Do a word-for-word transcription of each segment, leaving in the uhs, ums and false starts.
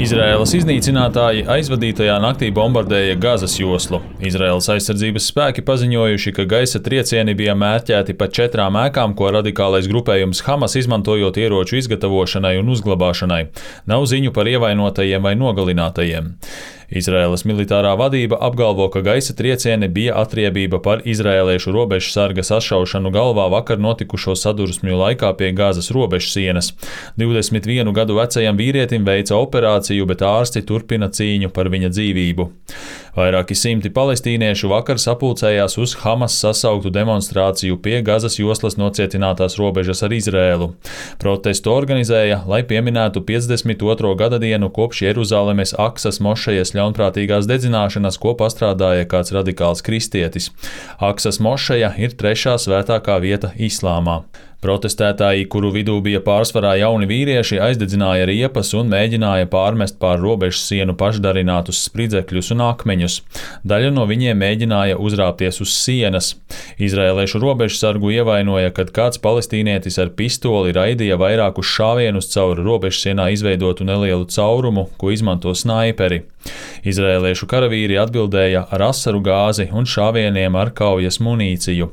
Izraēlas iznīcinātāji aizvadītajā naktī bombardēja Gazas joslu. Izraēlas aizsardzības spēki paziņojuši, ka gaisa triecieni bija mērķēti pa četrām ēkām, ko radikālais grupējums Hamas izmantojot ieroču izgatavošanai un uzglabāšanai. Nav ziņu par ievainotajiem vai nogalinātajiem. Izraēlas militārā vadība apgalvo, ka gaisa triecieni bija atriebība par izraēliešu robežsarga sašaušanu galvā vakar notikušo sadursmju laikā pie Gazas robežsienas. divdesmit vienu gadu vecajam vīrietim veica operāciju, bet ārsti turpina cīņu par viņa dzīvību. Vairāki simti palestīniešu vakar sapulcējās uz Hamas sasauktu demonstrāciju pie Gazas joslas nocietinātās robežas ar Izraēlu. Protestu organizēja, lai pieminētu piecdesmit otro gada dienu kopš Jeruzalemes Aksas mošejas ļaunprātīgās dedzināšanas, ko pastrādāja kāds radikāls kristietis. Aksas mošeja ir trešā svētākā vieta islāmā. Protestētāji, kuru vidū bija pārsvarā jauni vīrieši, aizdedzināja riepas un mēģināja pārmest pār robežas sienu pašdarinātus spridzekļus un akmeņus. Daļa no viņiem mēģināja uzrāpties uz sienas. Izraēliešu robežsargu ievainoja, kad kāds palestīnietis ar pistoli raidīja vairākus šāvienus caur robežsienā izveidotu nelielu caurumu, ko izmanto snaiperi. Izraēliešu karavīri atbildēja ar asaru gāzi un šāvieniem ar kaujas munīciju.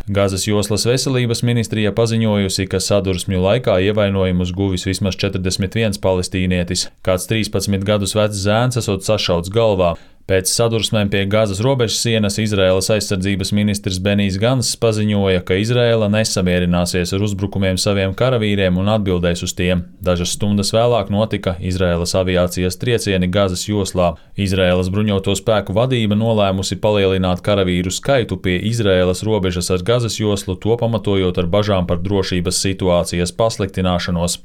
Gazas joslas veselības ministrija paziņojusi, ka sadursmju laikā ievainojumus guvis vismaz četrdesmit viens palestīnietis, kāds trīspadsmit gadus vecs zēns esot sašauts galvā. Pēc sadursmēm pie Gazas robežas sienas Izraēlas aizsardzības ministrs Benijs Ganss paziņoja, ka Izraēla nesamierināsies ar uzbrukumiem saviem karavīriem un atbildēs uz tiem. Dažas stundas vēlāk notika Izraēlas aviācijas triecieni Gazas joslā. Izraēlas bruņoto spēku vadība nolēmusi palielināt karavīru skaitu pie Izraēlas robežas ar Gazas joslu, to pamatojot ar bažām par drošības situācijas pasliktināšanos.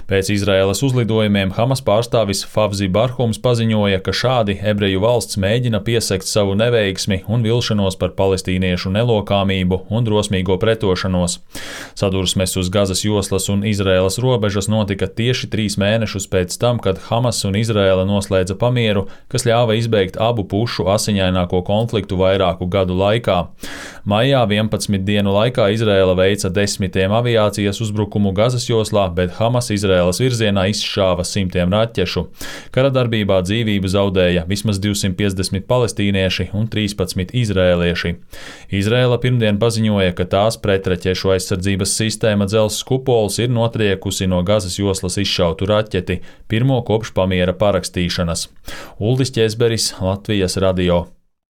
Pēc Izraēlas uzlidojumiem Hamas pārstāvis Favzi Barhums paziņoja, ka šādi ebreju valsts mēģina piesekt savu neveiksmi un vilšanos par palestīniešu nelokāmību un drosmīgo pretošanos. Sadursmes uz Gazas joslas un Izraēlas robežas notika tieši trīs mēnešus pēc tam, kad Hamas un Izraēla noslēdza pamieru, kas ļāva izbeigt abu pušu asiņaināko konfliktu vairāku gadu laikā. Maijā vienpadsmit dienu laikā Izraēla veica desmitiem aviācijas uzbrukumu Gazas joslā, bet Hamas Izraēlas virzienā izšāva simtiem raķešu. Kara darbībā dzīvību zaudēja vismaz divsimt piecdesmit palestīnieši un trīspadsmit izraēlieši. Izraēla pirmdien paziņoja, ka tās pretraķešu aizsardzības sistēma Dzelzs kupols ir notriekusi no Gazas joslas izšautu raķeti, pirmo kopš pamiera parakstīšanas. Uldis Ķezberis, Latvijas radio.